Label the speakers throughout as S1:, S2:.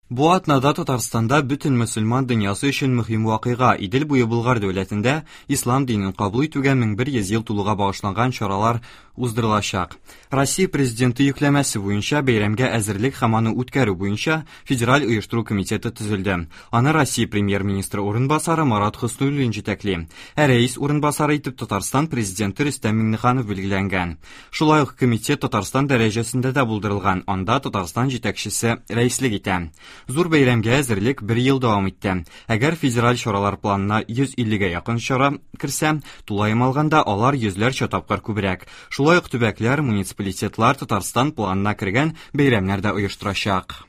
S1: Бу атнада Татарстанда бөтен мөселман дөньясы өчен мөһим вакыйга Идел буе Болгар дәүләтендә ислам динен кабул итүгә 1100 ел тулуга багышланган чаралар уздырылачак. Россия Президенты йөкләмәсе буенча бәйрәмгә әзерлек һәм аны үткәрү буенча Федераль оештыру комитеты төзелде. Аны Россия премьер-министры урынбасары Марат Хөснуллин җитәкли. Ә рәис урынбасары итеп Татарстан Президенты Рөстәм Миңнеханов билгеләнгән. Шулай ук комитет Татарстан дәрәҗәсендә дә булдырылган, анда Татарстан җитәкчесе рәислек итә. Зур бәйрәмгә әзерлек бер ел дәвам итте. Әгәр федераль чаралар планына 150 гә якын чара керсә, тулаем алганда алар йөзләрчә тапкыр күбрәк. Шулай ук төбәкләр, муниципалитетлар Татарстан планына кергән бәйрәмнәр дә оештырачак.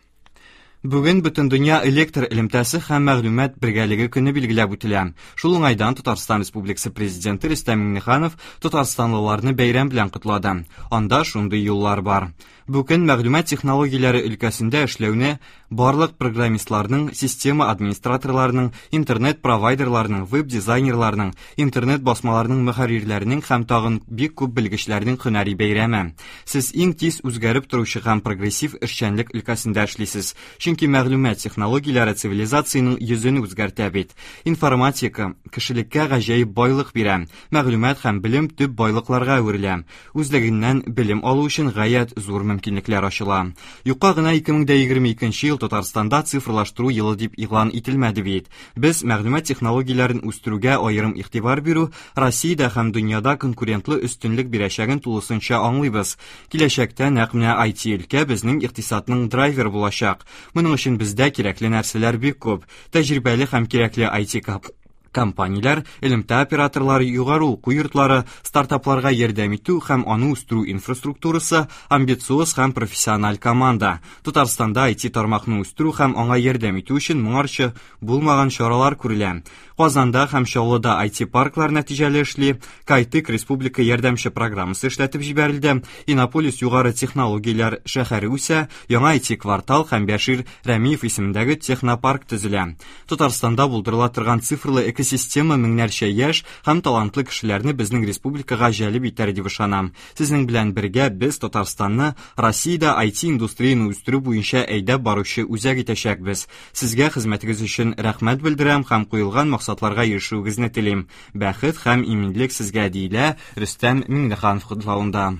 S1: Бүген Бөтендөнья электр элемтәсе һәм мәгълүмат бергәлеге көне билгеләп үтелә. Шул уңайдан Татарстан Республикасы Президенты Рөстәм Миңнеханов татарстанлыларны бәйрәм белән котлады. Анда шундый юллар бар. Бу көн мәгълүмат технологияләре өлкәсендә эшләүне барлык программистларның, система администраторларының, интернет-провайдерларның, веб-дизайнерларның, интернет-басмаларның мөхәррирләренең һәм тагын бик күп белгечләрнең һөнәри бәйрәме. Сез иң тиз үзгәреп торучы һәм прогрессив эшчәнлек өлкәсендә эшлисез, чөнки мәгълүмат технологияләре цивилизациянең йөзен үзгәртә бит. Информатика кешелеккә гаҗәеп байлык бирә. Мәгълүмат һәм белем төп байлыкларга әверелә. Үзлегеннән белем алу өчен гаять зур мөмкинлекләр ачыла. Юкка гына 2022 ел Татарстанда цифрлаштыру елы дип игълан ителмәде бит. Без мәгълүмат технологияләрен үстерүгә аерым игътибар бирү Россиядә һәм дөньяда конкурентлы өстенлек бирәчәген тулысынча аңлыйбыз. Киләчәктә нәкъ менә IT-өлкә безнең икътисадның драйверы булачак. Моның өчен бездә кирәкле нәрсәләр бик күп. Тәҗрибәле һәм кирәкле IT компанияләр, элемтә операторлары, югары уку йортлары, стартапларга ярдәм итү һәм аны үстерү инфраструктурасы, амбициоз һәм профессиональ команда. Татарстанда IT тармакны үстерү һәм аңа ярдәм итү өчен моңарчы булмаган чаралар күрелә. Казанда һәм Чаллыда IT-парклар нәтиҗәле эшли, Кайтык республика ярдәмче программасы эшләтеп җибәрелде, Иннополис югары технологияләр шәһәре үсә, яңа IT-квартал һәм Бәшир Рәмиев исемендәге технопарк төзелә. Татарстанда булдырыла торган цифрлы экосистема меңнәрчә яшь һәм талантлы кешеләрне безнең республикага җәлеп итәр дип ышанам. Сезнең белән бергә без Татарстанны Россиядә IT-индустрияне үстерү буенча әйдәп баручы үзәк итәчәкбез. Сезгә хезмәтегез өчен рәхмәт белдерәм һәм куелган максатларга ирешүегезне телим. Бәхет һәм иминлек сезгә, диелә Рөстәм Миңнеханов котлавында.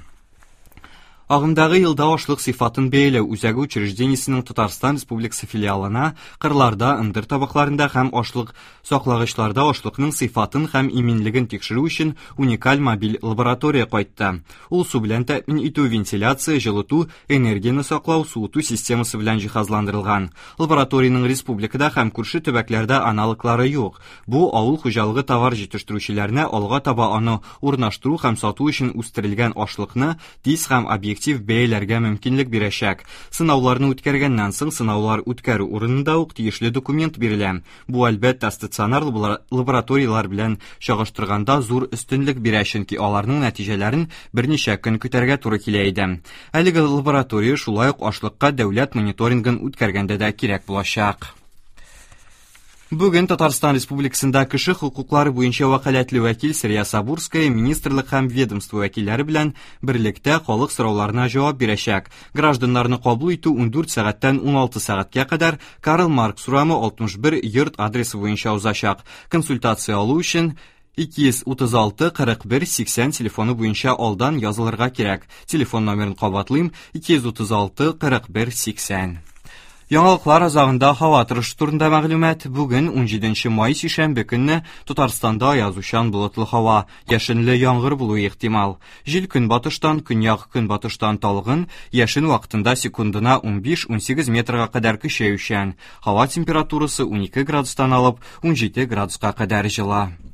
S1: Агымдагы елда ашлык сыйфатын бәяләү үзәге учреждениесенең Татарстан Республикасы филиалына кырларда, ындыр табакларында һәм ашлык саклагычларда ашлыкның сыйфатын һәм иминлеген тикшерү өчен уникаль мобиль лаборатория кайтты. Ул су белән тәэмин итү, вентиляция, җылыту, энергияне саклау, суыту системасы белән җиһазландырылган. Лабораториянең республикада һәм күрше төбәкләрдә аналоглары юк. Бу авыл хуҗалыгы товар җитештерүчеләренә алга таба аны урнаштыру һәм сату өчен үстерелгән ашлыкны тиз һәм объектив бәяләргә мөмкинлек бирәчәк. Сынауларны үткәргәннән соң сынаулар үткәрү урынында ук тиешле документ бирелә. Бу, әлбәттә, стационар лабораторияләр белән чагыштырганда зур өстенлек бирә, чөнки аларның нәтиҗәләрен берничә көн көтәргә туры килә иде. Әлеге лаборатория шулай ук ашлыкка дәүләт мониторингын үткәргәндә дә кирәк булачак. Бүген Татарстан Республикасында кеше хокуклары буенча вәкаләтле вәкил Сәрия Сабурская министрлык һәм ведомство вәкилләре белән берлектә халык сорауларына җавап бирәчәк. Гражданнарны кабул итү 14 сәгатьтән 16 сәгатькә кадәр Карл Маркс урамы 61 йорт адресы буенча узачак. Консультация алу өчен 236 41 80 телефоны буенча алдан язылырга кирәк. Телефон номерын кабатлыйм: 236 41 80. Яңалыклар азагында һава торышы турында мәгълүмат. Бүген 17 май сишәмбе көнне Татарстанда аязучан болытлы һава, яшенле яңгыр булуы ихтимал. Җил көнбатыштан, көньяк-көнбатыштан талгын, яшен вакытында секундына 15-18 метрга кадәр көчәючән. Һава температурасы 12 градустан алып 17 градуска кадәр җылы.